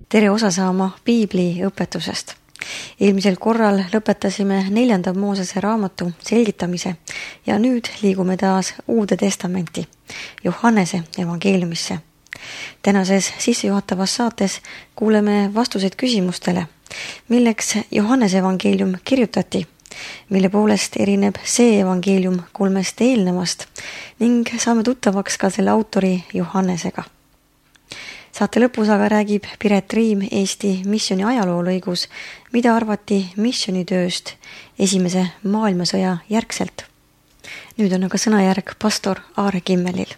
Tere osa saama piibli õpetusest. Eelmisel korral lõpetasime 4. Moosese raamatu selgitamise ja nüüd liigume taas Uude Testamenti, Johannese evangeeliumisse. Tänases sissejuhatavas saates kuuleme vastuseid küsimustele, milleks Johannese evangeelium kirjutati, mille poolest erineb see evangeelium 3 eelnevast ning saame tuttavaks ka selle autori Johannesega. Saate lõpus aga räägib Piret Riim Eesti missiooni ajaloolõigus, mida arvati missionitööst Esimese maailmasõja järgselt. Nüüd on aga sõnajärg pastor Aare Kimmelil.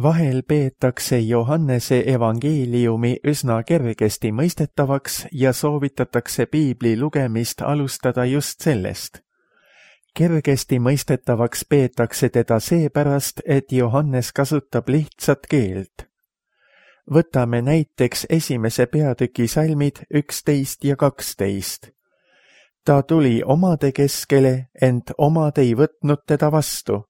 Vahel peetakse Johannese evangeeliumi üsna kergesti mõistetavaks ja soovitatakse piibli lugemist alustada just sellest. Kergesti mõistetavaks peetakse teda seepärast, et Johannes kasutab lihtsat keelt. Võtame näiteks 1. peatüki salmid 11 ja 12. Ta tuli omade keskele, ent omad ei võtnud teda vastu.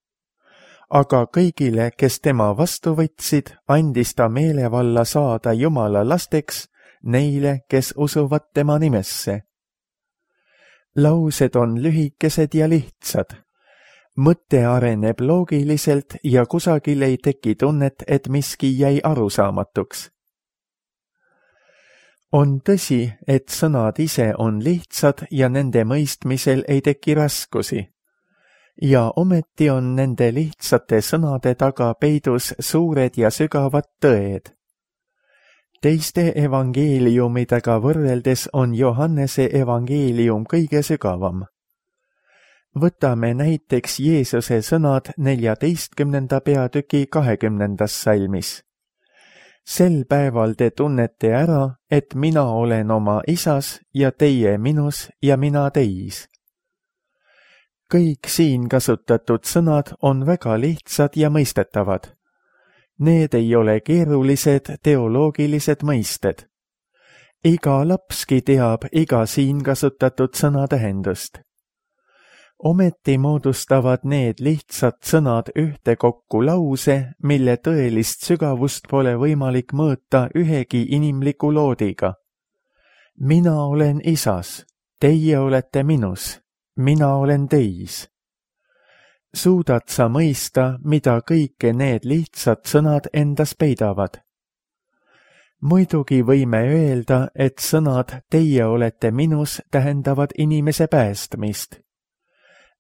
Aga kõigile, kes tema vastu võtsid, andis ta meelevalla saada Jumala lasteks, neile, kes usuvad tema nimesse. Laused on lühikesed ja lihtsad. Mõte areneb loogiliselt ja kusagil ei teki tunnet, et miski jäi arusaamatuks. On tõsi, et sõnad ise on lihtsad ja nende mõistmisel ei teki raskusi. Ja ometi on nende lihtsate sõnade taga peidus suured ja sügavad tõed. Teiste evangeeliumidega võrreldes on Johannese evangeelium kõige sügavam. Võtame näiteks Jeesuse sõnad 14. peatüki 20. salmis. Sel päeval te tunnete ära, et mina olen oma isas ja teie minus ja mina teis. Kõik siin kasutatud sõnad on väga lihtsad ja mõistetavad. Need ei ole keerulised teoloogilised mõisted. Iga lapski teab iga siin kasutatud sõna tähendust. Ometi moodustavad need lihtsad sõnad ühtekokku lause, mille tõelist sügavust pole võimalik mõõta ühegi inimliku loodiga. Mina olen isas, teie olete minus, mina olen teis. Suudad sa mõista, mida kõike need lihtsad sõnad endas peidavad? Muidugi võime öelda, et sõnad teie olete minus tähendavad inimese päästmist.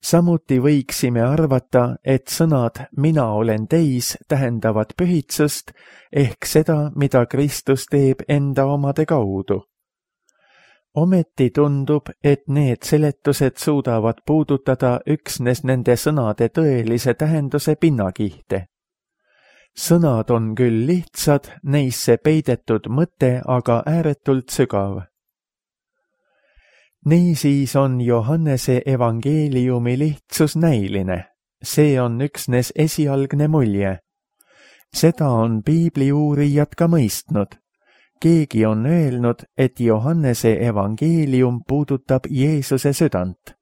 Samuti võiksime arvata, et sõnad mina olen teis tähendavad pühitsust ehk seda, mida Kristus teeb enda omade kaudu. Ometi tundub, et need seletused suudavad puudutada üksnes nende sõnade tõelise tähenduse pinnakihte. Sõnad on küll lihtsad, neisse peidetud mõte aga ääretult sügav. Niisiis on Johannese evangeeliumi lihtsus näiline. See on üksnes esialgne mulje. Seda on piibliuurijad ka mõistnud. Keegi on öelnud, et Johannese evangeelium puudutab Jeesuse südant.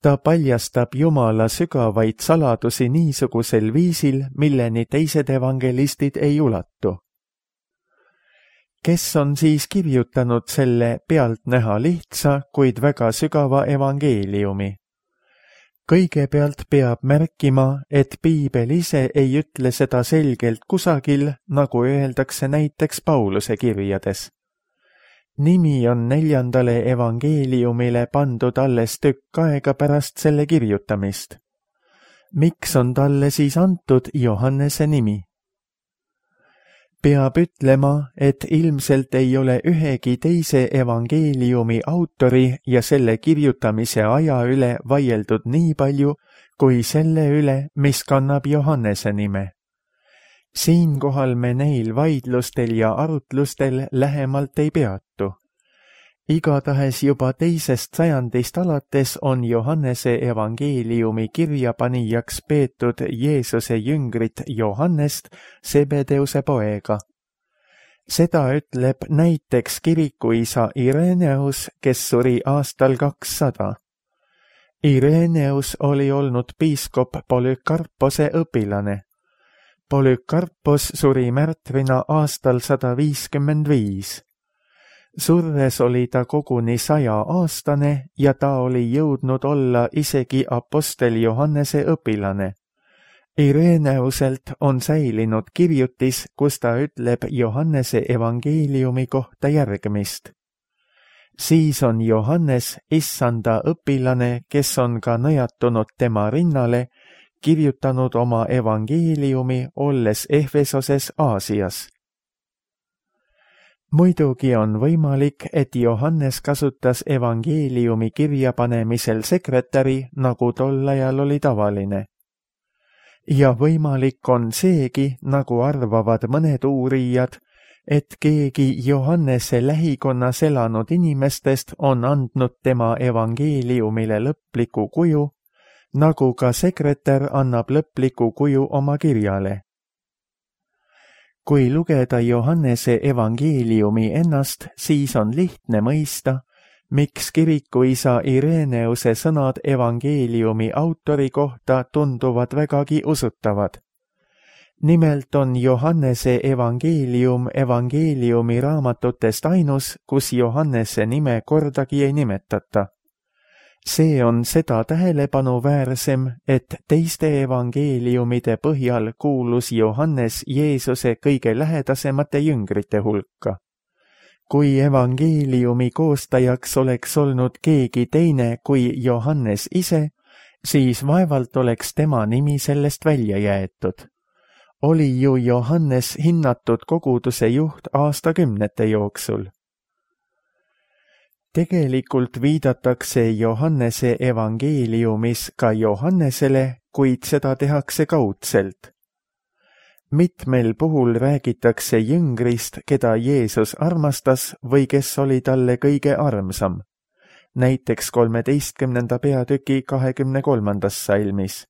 Ta paljastab Jumala sügavaid saladusi niisugusel viisil, milleni teised evangelistid ei ulatu. Kes on siis kirjutanud selle pealtnäha lihtsa, kuid väga sügava evangeeliumi? Kõigepealt peab märkima, et piibel ise ei ütle seda selgelt kusagil, nagu öeldakse näiteks Pauluse kirjades. Nimi on 4. evangeeliumile pandud alles tükk aega pärast selle kirjutamist. Miks on talle siis antud Johannese nimi? Peab ütlema, et ilmselt ei ole ühegi teise evangeeliumi autori ja selle kirjutamise aja üle vaieldud nii palju, kui selle üle, mis kannab Johannese nime. Siinkohal me neil vaidlustel ja arutlustel lähemalt ei peatu. Igatahes juba 2. sajandist alates on Johannese evangeeliumi kirjapanijaks peetud Jeesuse jüngrit Johannest, Zebedeuse poega. Seda ütleb näiteks kirikuisa Ireneus, kes suri aastal 200. Ireneus oli olnud piiskop Polükarpose õpilane. Polükarpos suri märtrina aastal 155. Surres oli ta koguni 100-aastane ja ta oli jõudnud olla isegi apostel Johannese õpilane. Ireneuselt on säilinud kirjutis, kus ta ütleb Johannese evangeeliumi kohta järgmist. Siis on Johannes issanda õpilane, kes on ka nõjatunud tema rinnale, kirjutanud oma evangeeliumi, olles Efesoses Aasias. Muidugi on võimalik, et Johannes kasutas evangeeliumi kirjapanemisel sekretäri, nagu tol ajal oli tavaline. Ja võimalik on seegi, nagu arvavad mõned uurijad, et keegi Johannese lähikonnas elanud inimestest on andnud tema evangeeliumile lõpliku kuju, nagu ka sekretär annab lõpliku kuju oma kirjale. Kui lugeda Johannese evangeeliumi ennast, siis on lihtne mõista, miks kirikuisa Ireneuse sõnad evangeeliumi autori kohta tunduvad vägagi usutavad. Nimelt on Johannese evangeelium evangeeliumi raamatutest ainus, kus Johannese nime kordagi ei nimetata. See on seda tähelepanu-väärsem, et teiste evangeeliumide põhjal kuulus Johannes Jeesuse kõige lähedasemate jüngrite hulka. Kui evangeeliumi koostajaks oleks olnud keegi teine kui Johannes ise, siis vaevalt oleks tema nimi sellest välja jäetud. Oli ju Johannes hinnatud koguduse juht aastakümnete jooksul. Tegelikult viidatakse Johannese evangeeliumis ka Johannesele, kuid seda tehakse kaudselt. Mitmel puhul räägitakse jüngrist, keda Jeesus armastas või kes oli talle kõige armsam, näiteks 13. peatüki 23. salmis.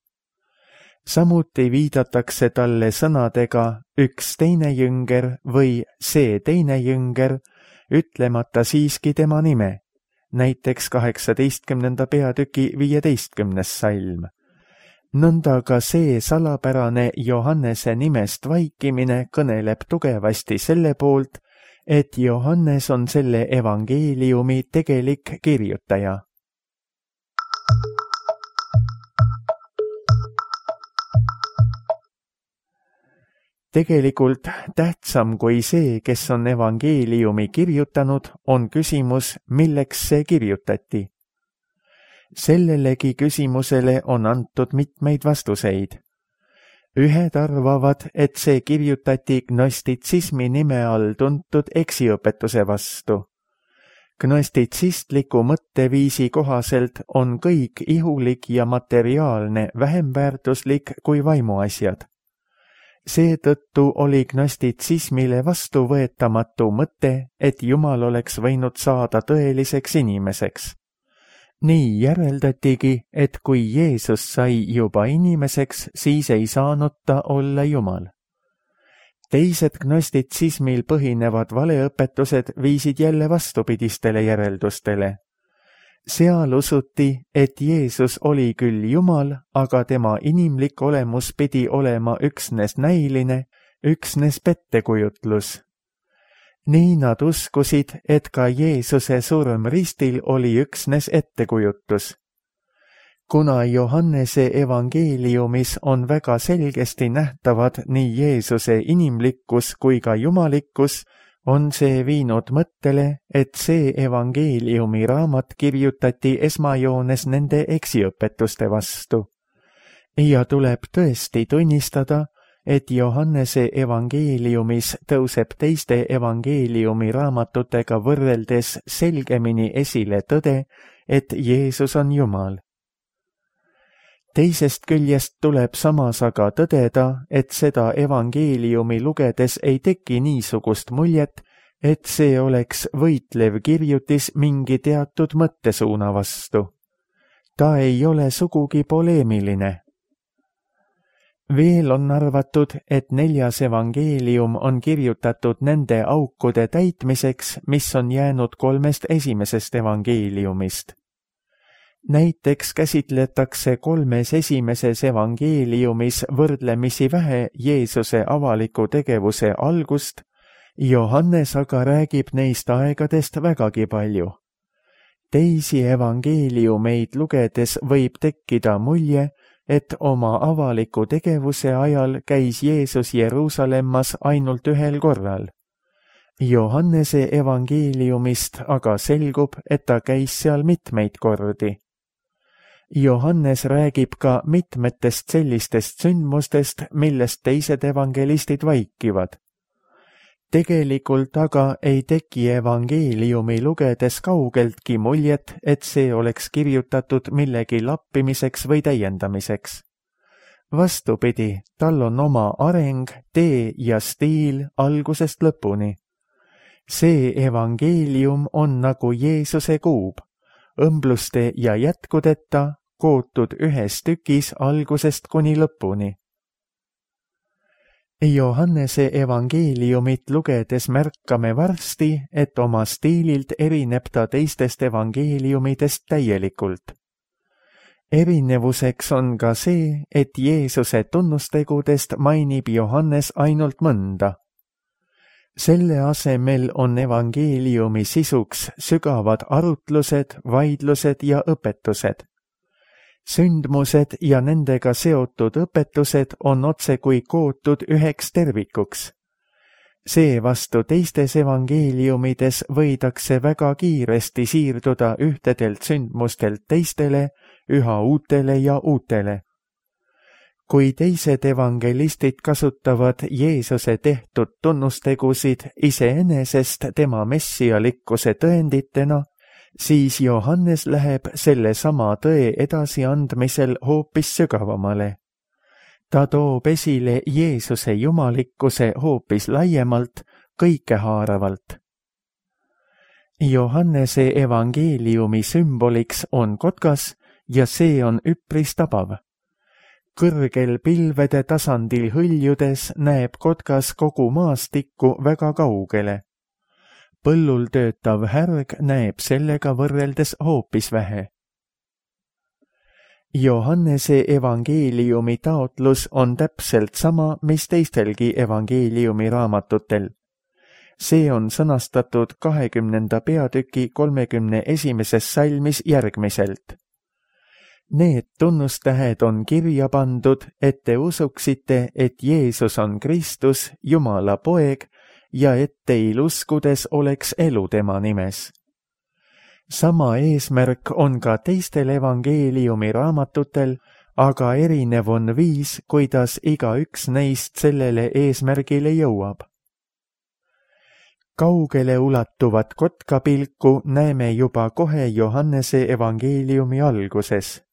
Samuti viidatakse talle sõnadega üks teine jünger või see teine jünger, ütlemata siiski tema nime, näiteks 18. peatüki 15. salm. Nõnda ka see salapärane Johannese nimest vaikimine kõneleb tugevasti selle poolt, et Johannes on selle evangeeliumi tegelik kirjutaja. Tegelikult tähtsam kui see, kes on evangeeliumi kirjutanud, on küsimus, milleks see kirjutati. Sellelegi küsimusele on antud mitmeid vastuseid. Ühed arvavad, et see kirjutati gnostitsismi nime all tuntud eksiõpetuse vastu. Gnostitsistliku mõtteviisi kohaselt on kõik ihulik ja materiaalne vähem väärtuslik kui vaimuasjad. Seetõttu oli gnostitsismile vastuvõetamatu mõte, et Jumal oleks võinud saada tõeliseks inimeseks. Nii järeldatigi, et kui Jeesus sai juba inimeseks, siis ei saanud ta olla Jumal. Teised gnostitsismil põhinevad valeõpetused viisid jälle vastupidistele järeldustele. Seal usuti, et Jeesus oli küll Jumal, aga tema inimlik olemus pidi olema üksnes näiline, üksnes pettekujutlus. Nii nad uskusid, et ka Jeesuse surm ristil oli üksnes ettekujutus. Kuna Johannese evangeeliumis on väga selgesti nähtavad nii Jeesuse inimlikkus kui ka jumalikkus, on see viinud mõttele, et see evangeeliumi raamat kirjutati esmajoones nende eksiõpetuste vastu. Ja tuleb tõesti tunnistada, et Johannese evangeeliumis tõuseb teiste evangeeliumi raamatutega võrreldes selgemini esile tõde, et Jeesus on Jumal. Teisest küljest tuleb samas aga tõdeda, et seda evangeeliumi lugedes ei teki niisugust muljet, et see oleks võitlev kirjutis mingi teatud mõttesuuna vastu. Ta ei ole sugugi poleemiline. Veel on arvatud, et 4. evangeelium on kirjutatud nende aukude täitmiseks, mis on jäänud 3 esimesest evangeeliumist. Näiteks käsitletakse 3 esimeses evangeeliumis võrdlemisi vähe Jeesuse avaliku tegevuse algust, Johannes aga räägib neist aegadest vägagi palju. Teisi evangeeliumeid lugedes võib tekkida mulje, et oma avaliku tegevuse ajal käis Jeesus Jeruusalemmas ainult 1 korral. Johannese evangeeliumist aga selgub, et ta käis seal mitmeid kordi. Johannes räägib ka mitmetest sellistest sündmustest, millest teised evangelistid vaikivad. Tegelikult aga ei teki evangeeliumi lugedes kaugeltki muljet, et see oleks kirjutatud millegi lappimiseks või täiendamiseks. Vastupidi, tal on oma areng, tee ja stiil algusest lõpuni. See evangeelium on nagu Jeesuse kuub, õmbluste ja jätkudeta, kootud ühes tükis algusest kuni lõpuni. Johannese evangeeliumit lugedes märkame varsti, et oma stiililt erineb ta teistest evangeeliumidest täielikult. Erinevuseks on ka see, et Jeesuse tunnustegudest mainib Johannes ainult mõnda. Selle asemel on evangeeliumi sisuks sügavad arutlused, vaidlused ja õpetused. Sündmused ja nendega seotud õpetused on otsekui kootud üheks tervikuks. Seevastu teistes evangeeliumides võidakse väga kiiresti siirduda ühtedelt sündmustelt teistele, üha uutele ja uutele. Kui teised evangelistid kasutavad Jeesuse tehtud tunnustegusid iseenesest tema messialikkuse tõenditena, siis Johannes läheb selle sama tõe edasiandmisel hoopis sügavamale. Ta toob esile Jeesuse jumalikkuse hoopis laiemalt, kõikehaaravalt. Johannese evangeeliumi sümboliks on kotkas ja see on üpris tabav. Kõrgel pilvede tasandil hõljudes näeb kotkas kogu maastikku väga kaugele. Põllul töötav härg näeb sellega võrreldes hoopis vähe. Johannese evangeeliumi taotlus on täpselt sama, mis teistelgi evangeeliumi raamatutel. See on sõnastatud 20. peatüki 31. salmis järgmiselt. Need tunnustähed on kirja pandud, et te usuksite, et Jeesus on Kristus, Jumala poeg, ja et teil uskudes oleks elu tema nimes. Sama eesmärk on ka teistel evangeeliumi raamatutel, aga erinev on viis, kuidas igaüks neist sellele eesmärgile jõuab. Kaugele ulatuvat kotkapilku näeme juba kohe Johannese evangeeliumi alguses.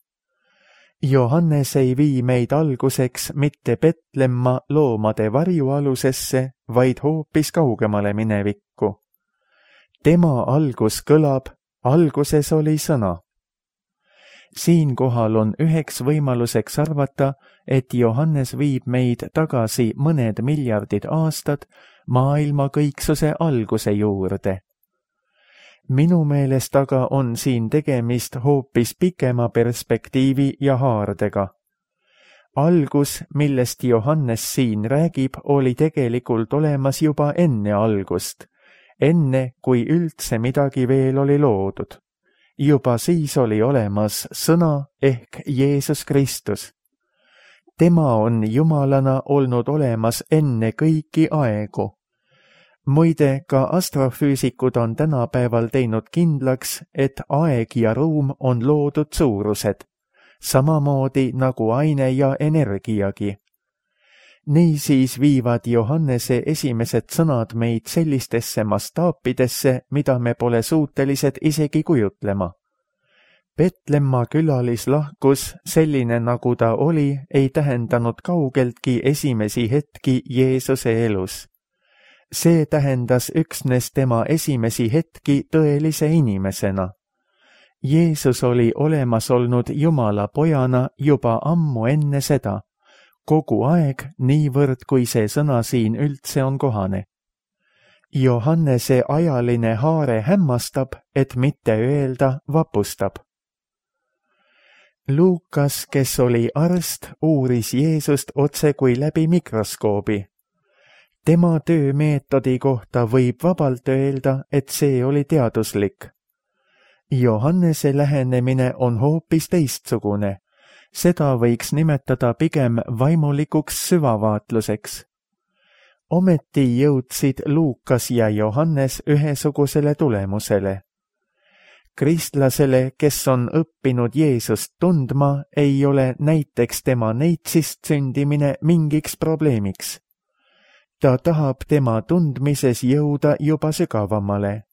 Johannes ei vii meid alguseks mitte Petlemma loomade varjualusesse, vaid hoopis kaugemale minevikku. Tema algus kõlab, alguses oli sõna. Siinkohal on üheks võimaluseks arvata, et Johannes viib meid tagasi mõned miljardid aastad maailma kõiksuse alguse juurde. Minu meelest aga on siin tegemist hoopis pikema perspektiivi ja haardega. Algus, millest Johannes siin räägib, oli tegelikult olemas juba enne algust, enne kui üldse midagi veel oli loodud. Juba siis oli olemas sõna ehk Jeesus Kristus. Tema on jumalana olnud olemas enne kõiki aegu. Muide, ka astrofüüsikud on tänapäeval teinud kindlaks, et aeg ja ruum on loodud suurused, samamoodi nagu aine ja energiagi. Niisiis viivad Johannese esimesed sõnad meid sellistesse mastaapidesse, mida me pole suutelised isegi kujutlema. Petlemma külalislahkus, selline nagu ta oli, ei tähendanud kaugeltki esimesi hetki Jeesuse elus. See tähendas üksnes tema esimesi hetki tõelise inimesena. Jeesus oli olemas olnud Jumala pojana juba ammu enne seda, kogu aeg, niivõrd kui see sõna siin üldse on kohane. Johannese ajaline haare hämmastab, et mitte öelda vapustab. Luukas, kes oli arst, uuris Jeesust otse kui läbi mikroskoobi. Tema töömeetodi kohta võib vabalt öelda, et see oli teaduslik. Johannese lähenemine on hoopis teistsugune. Seda võiks nimetada pigem vaimulikuks süvavaatluseks. Ometi jõudsid Luukas ja Johannes ühesugusele tulemusele. Kristlasele, kes on õppinud Jeesust tundma, ei ole näiteks tema neitsist sündimine mingiks probleemiks. Ta tahab tema tundmises jõuda juba sügavamale.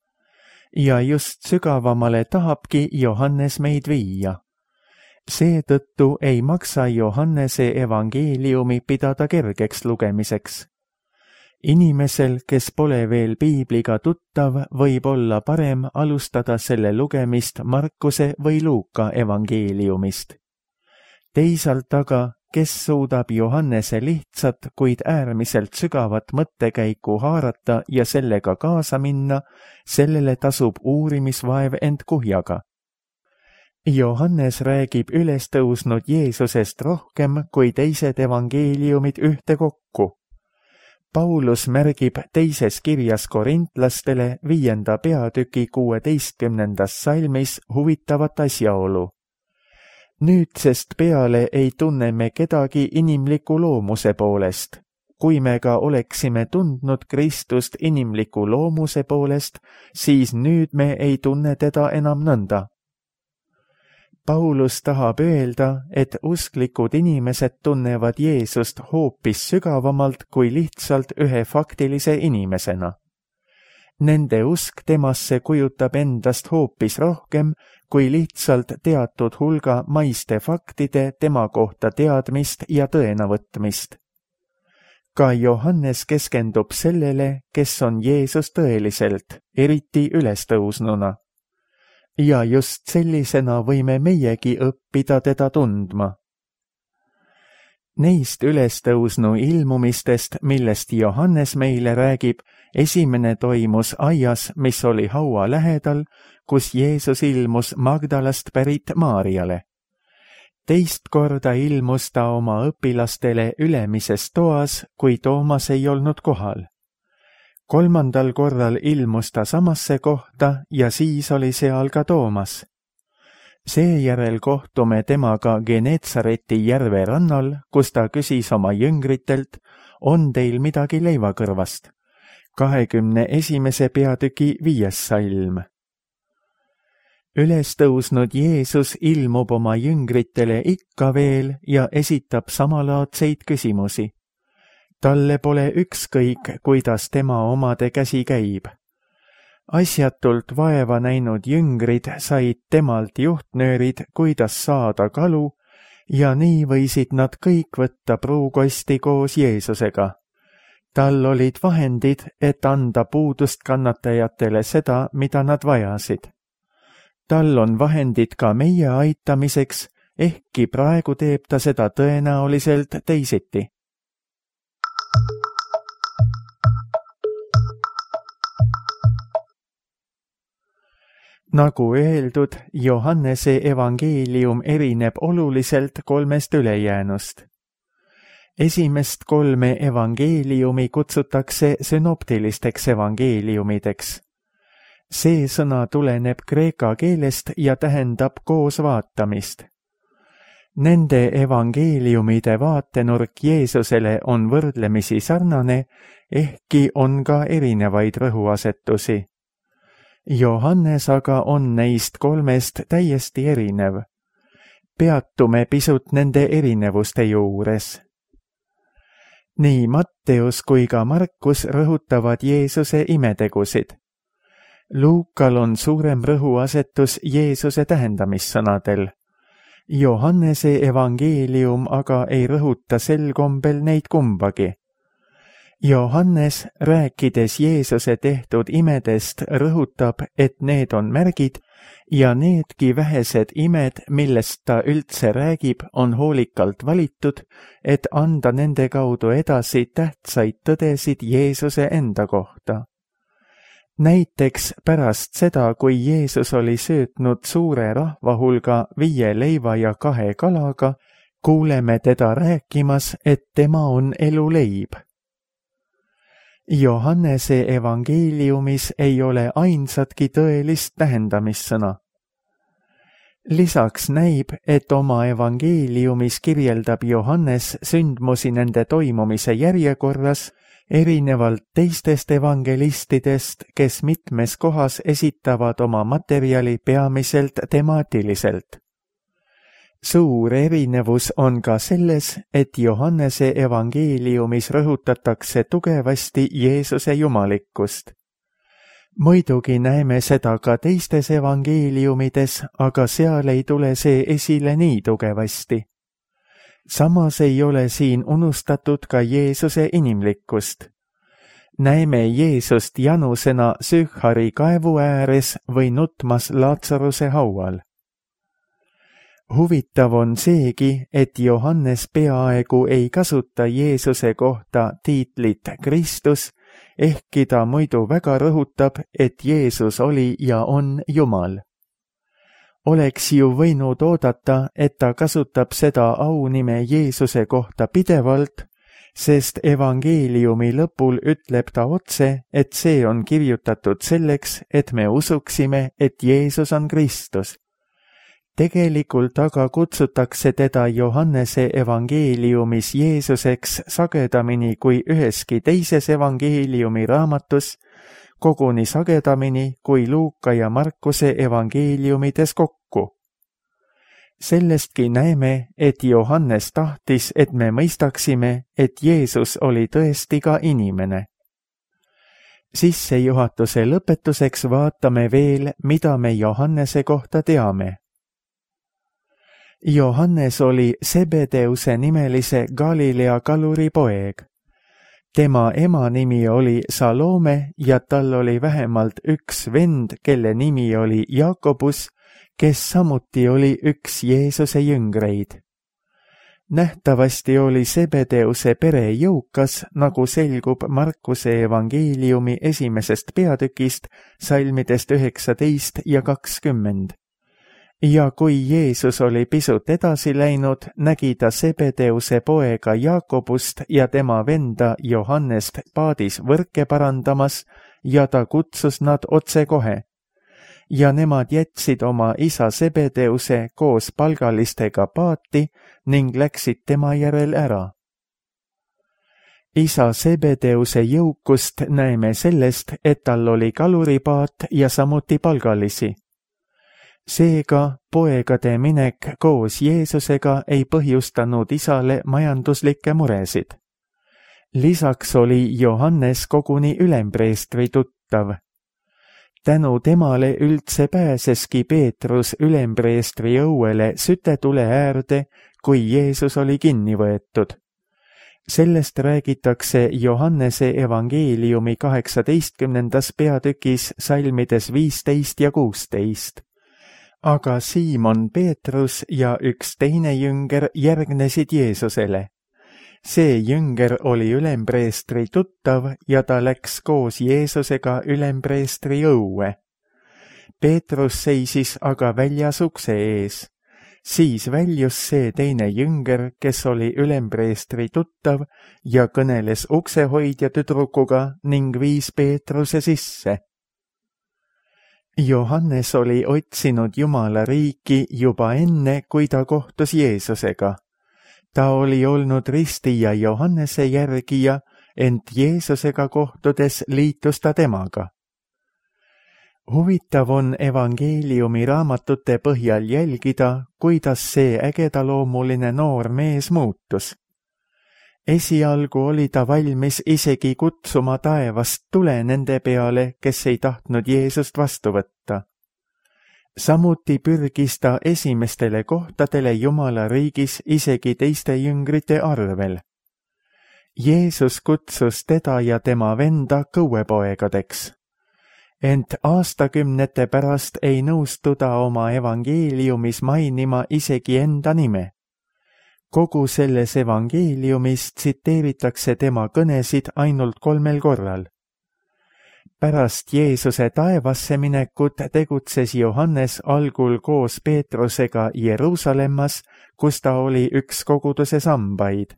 Ja just sügavamale tahabki Johannes meid viia. Seetõttu ei maksa Johannese evangeeliumi pidada kergeks lugemiseks. Inimesel, kes pole veel piibliga tuttav, võib olla parem alustada selle lugemist Markuse või Luuka evangeeliumist. Teisalt aga, kes suudab Johannese lihtsat, kuid äärmiselt sügavat mõttekäiku haarata ja sellega kaasa minna, sellele tasub uurimisvaev end kuhjaga. Johannes räägib ülestõusnud Jeesusest rohkem kui teised evangeeliumid ühtekokku. Paulus märgib teises kirjas korintlastele 5. peatüki 16. salmis huvitavat asjaolu. Nüüdsest peale ei tunne me kedagi inimliku loomuse poolest. Kui me ka oleksime tundnud Kristust inimliku loomuse poolest, siis nüüd me ei tunne teda enam nõnda. Paulus tahab öelda, et usklikud inimesed tunnevad Jeesust hoopis sügavamalt kui lihtsalt ühe faktilise inimesena. Nende usk temasse kujutab endast hoopis rohkem kui lihtsalt teatud hulga maiste faktide tema kohta teadmist ja tõena võtmist. Ka Johannes keskendub sellele, kes on Jeesus tõeliselt, eriti ülestõusnuna. Ja just sellisena võime meiegi õppida teda tundma. Neist ülestõusnu ilmumistest, millest Johannes meile räägib, esimene toimus aias, mis oli haua lähedal, kus Jeesus ilmus Magdalast pärit Maarjale. Teist korda ilmus ta oma õpilastele ülemises toas, kui Toomas ei olnud kohal. Kolmandal korral ilmus ta samasse kohta ja siis oli seal ka Toomas. Seejärel kohtume temaga Genetsareti järve rannal, kus ta küsis oma jüngritelt, on teil midagi leivakõrvast? 21. peatüki 5. salm. Ülestõusnud Jeesus ilmub oma jüngritele ikka veel ja esitab samalaadseid küsimusi. Talle pole ükskõik, kuidas tema omade käsi käib. Asjatult vaeva näinud jüngrid said temalt juhtnöörid, kuidas saada kalu, ja nii võisid nad kõik võtta pruukosti koos Jeesusega. Tal olid vahendid, et anda puudust kannatajatele seda, mida nad vajasid. Tal on vahendid ka meie aitamiseks, ehkki praegu teeb ta seda tõenäoliselt teisiti. Nagu öeldud, Johannese evangeelium erineb oluliselt kolmest ülejäänust. Esimest kolme evangeeliumi kutsutakse synoptilisteks evangeeliumideks. See sõna tuleneb kreeka keelest ja tähendab koos vaatamist. Nende evangeeliumide vaatenurk Jeesusele on võrdlemisi sarnane, ehkki on ka erinevaid rõhuasetusi. Johannes aga on neist kolmest täiesti erinev. Peatume pisut nende erinevuste juures. Nii Matteus kui ka Markus rõhutavad Jeesuse imetegusid. Luukal on suurem rõhuasetus Jeesuse tähendamissõnadel. Johannese evangeelium aga ei rõhuta sel kombel neid kumbagi. Johannes, rääkides Jeesuse tehtud imedest, rõhutab, et need on märgid ja needki vähesed imed, millest ta üldse räägib, on hoolikalt valitud, et anda nende kaudu edasi tähtsaid tõdesid Jeesuse enda kohta. Näiteks pärast seda, kui Jeesus oli söötnud suure rahvahulga 5 leiva ja 2 kalaga, kuuleme teda rääkimas, et tema on eluleib. Johannese evangeeliumis ei ole ainsatki tõelist tähendamissõna. Lisaks näib, et oma evangeeliumis kirjeldab Johannes sündmusi nende toimumise järjekorras, erinevalt teistest evangelistidest, kes mitmes kohas esitavad oma materjali peamiselt temaatiliselt. Suur erinevus on ka selles, et Johannese evangeeliumis rõhutatakse tugevasti Jeesuse jumalikkust. Muidugi näeme seda ka teistes evangeeliumides, aga seal ei tule see esile nii tugevasti. Samas ei ole siin unustatud ka Jeesuse inimlikkust. Näeme Jeesust janusena Sühhari kaevu ääres või nutmas Laatsaruse haual. Huvitav on seegi, et Johannes peaaegu ei kasuta Jeesuse kohta tiitlit Kristus, ehkki ta muidu väga rõhutab, et Jeesus oli ja on Jumal. Oleks ju võinud oodata, et ta kasutab seda aunime Jeesuse kohta pidevalt, sest evangeeliumi lõpul ütleb ta otse, et see on kirjutatud selleks, et me usuksime, et Jeesus on Kristus. Tegelikult aga kutsutakse teda Johannese evangeeliumis Jeesuseks sagedamini kui üheski teises evangeeliumi raamatus, koguni sagedamini kui Luuka ja Markuse evangeeliumides kokku. Sellestki näeme, et Johannes tahtis, et me mõistaksime, et Jeesus oli tõesti ka inimene. Sissejuhatuse lõpetuseks vaatame veel, mida me Johannese kohta teame. Johannes oli Zebedeuse nimelise Galilea kaluri poeg. Tema ema nimi oli Salome ja tal oli vähemalt üks vend, kelle nimi oli Jakobus, kes samuti oli üks Jeesuse jüngreid. Nähtavasti oli Zebedeuse pere jõukas, nagu selgub Markuse evangeeliumi 1. peatükist, salmidest 19 ja 20. Ja kui Jeesus oli pisut edasi läinud, nägi ta Zebedeuse poega Jakobust ja tema venda Johannest paadis võrke parandamas ja ta kutsus nad otsekohe. Ja nemad jätsid oma isa Zebedeuse koos palgalistega paati ning läksid tema järel ära. Isa Zebedeuse jõukust näeme sellest, et tal oli kaluripaat ja samuti palgalisi. Seega poegade minek koos Jeesusega ei põhjustanud isale majanduslikke muresid. Lisaks oli Johannes koguni ülempreestri tuttav. Tänu temale üldse pääseski Peetrus ülempreestri õuele sütetule äärde, kui Jeesus oli kinni võetud. Sellest räägitakse Johannese evangeeliumi 18. peatükis salmides 15 ja 16. Aga Siimon Peetrus ja üks teine jünger järgnesid Jeesusele. See jünger oli ülempreestri tuttav ja ta läks koos Jeesusega ülempreestri õue. Peetrus seisis aga väljas ukse ees. Siis väljus see teine jünger, kes oli ülempreestri tuttav ja kõneles uksehoidja tüdrukuga ning viis Peetruse sisse. Johannes oli otsinud Jumala riiki juba enne, kui ta kohtus Jeesusega. Ta oli olnud ristija Johannese järgija, ent Jeesusega kohtudes liitus ta temaga. Huvitav on evangeeliumi raamatute põhjal jälgida, kuidas see ägedaloomuline noor mees muutus. Esialgu oli ta valmis isegi kutsuma taevast tule nende peale, kes ei tahtnud Jeesust vastu võtta. Samuti pürgis ta esimestele kohtadele Jumala riigis isegi teiste jüngrite arvel. Jeesus kutsus teda ja tema venda kõuepoegadeks. Ent aastakümnete pärast ei nõustu ta oma evangeeliumis mainima isegi enda nime. Kogu selles evangeeliumis tsiteeritakse tema kõnesid ainult 3 korral. Pärast Jeesuse taevasse minekut tegutses Johannes algul koos Peetrusega Jeruusalemmas, kus ta oli üks koguduse sambaid.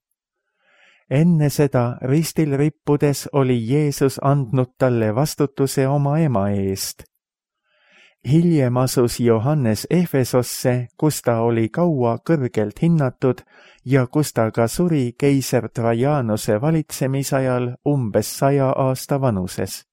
Enne seda ristil rippudes oli Jeesus andnud talle vastutuse oma ema eest. Hiljem asus Johannes Efesosse, kus ta oli kaua kõrgelt hinnatud ja kus ta ka suri keiser Trajanuse valitsemisajal umbes 100 aasta vanuses.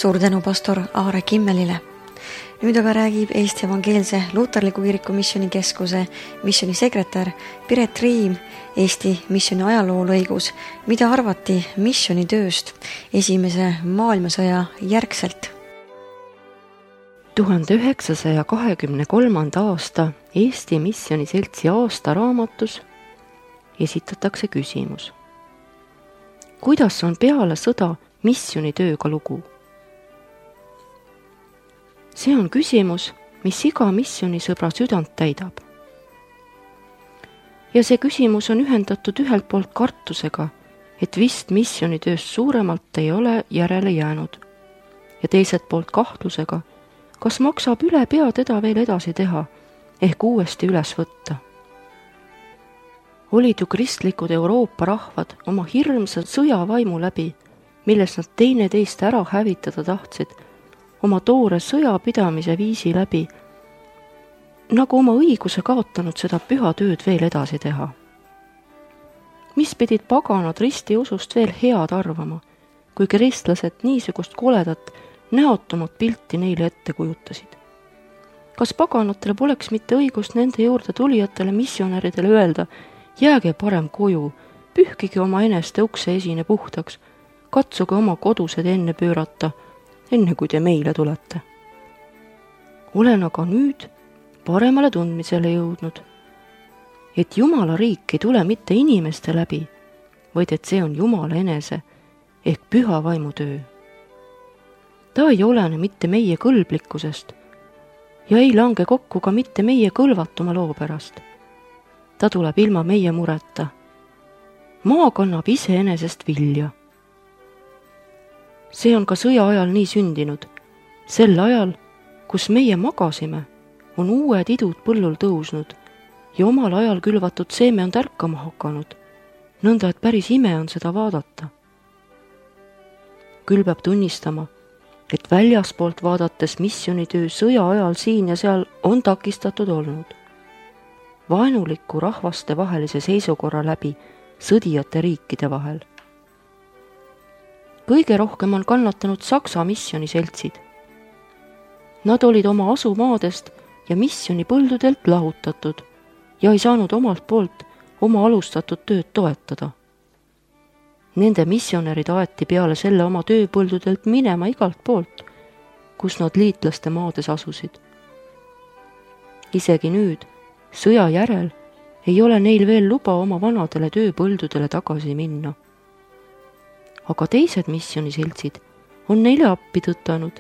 Suur tänu pastor Aare Kimmelile. Nüüd aga räägib Eesti Evangeelse Luterliku Kiriku Missioonikeskuse missioonisekretär Piret Riim Eesti missiooni ajaloo-lõigus, mida arvati missioonitööst Esimese maailmasõja järgselt. 1923. aasta Eesti Missioniseltsi aastaraamatus esitatakse küsimus. Kuidas on peale sõda missionitööga lugu? See on küsimus, mis iga missioonisõbra südant täidab. Ja see küsimus on ühendatud ühelt poolt kartusega, et vist missionitööst suuremalt ei ole järele jäänud, ja teiselt poolt kahtlusega, kas maksab üle pea teda veel edasi teha, ehk uuesti üles võtta. Olid ju kristlikud Euroopa rahvad oma hirmsa sõjavaimu läbi, milles nad teineteist ära hävitada tahtsid, oma toore sõjapidamise viisi läbi, nagu oma õiguse kaotanud seda püha tööd veel edasi teha. Mis pidid paganad ristiusust veel head arvama, kui kristlased niisugust koledat, näotumat pilti neile ette kujutasid? Kas paganatel poleks mitte õigust nende juurde tulijatele missionäridele öelda, jääge parem koju, pühkige oma eneste ukse esine puhtaks, katsuge oma kodused enne pöörata, enne kui te meile tulete. Olen aga nüüd paremale tundmisele jõudnud, et Jumala riik ei tule mitte inimeste läbi, vaid et see on Jumala enese ehk püha vaimu töö. Ta ei olene mitte meie kõlblikkusest ja ei lange kokku ka mitte meie kõlvatuma loo pärast. Ta tuleb ilma meie mureta. Maa kannab iseenesest vilja. See on ka sõja ajal nii sündinud. Sel ajal, kus meie magasime, on uued idud põllul tõusnud ja omal ajal külvatud seeme on tärkama hakanud, nõnda et päris ime on seda vaadata. Küll peab tunnistama, et väljaspoolt vaadates missionitöö sõja ajal siin ja seal on takistatud olnud. Vaenuliku rahvaste vahelise seisukorra läbi sõdijate riikide vahel. Kõige rohkem on kannatanud Saksa missioniseltsid. Nad olid oma asumaadest ja missionipõldudelt lahutatud ja ei saanud omalt poolt oma alustatud tööd toetada. Nende missionärid aeti peale selle oma tööpõldudelt minema igalt poolt, kus nad liitlaste maades asusid. Isegi nüüd, sõja järel, ei ole neil veel luba oma vanadele tööpõldudele tagasi minna. Aga teised missioniseltsid on neile appi tõtanud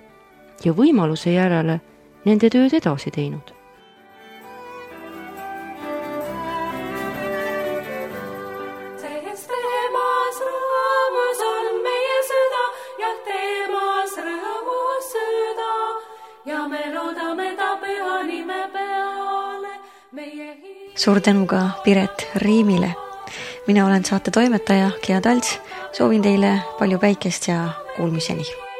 ja võimaluse järele nende tööd edasi teinud. Suur tänu ka Piret Riimile. Mina olen saate toimetaja Gea Talts. Soovin teile palju päikest ja kuulmiseni.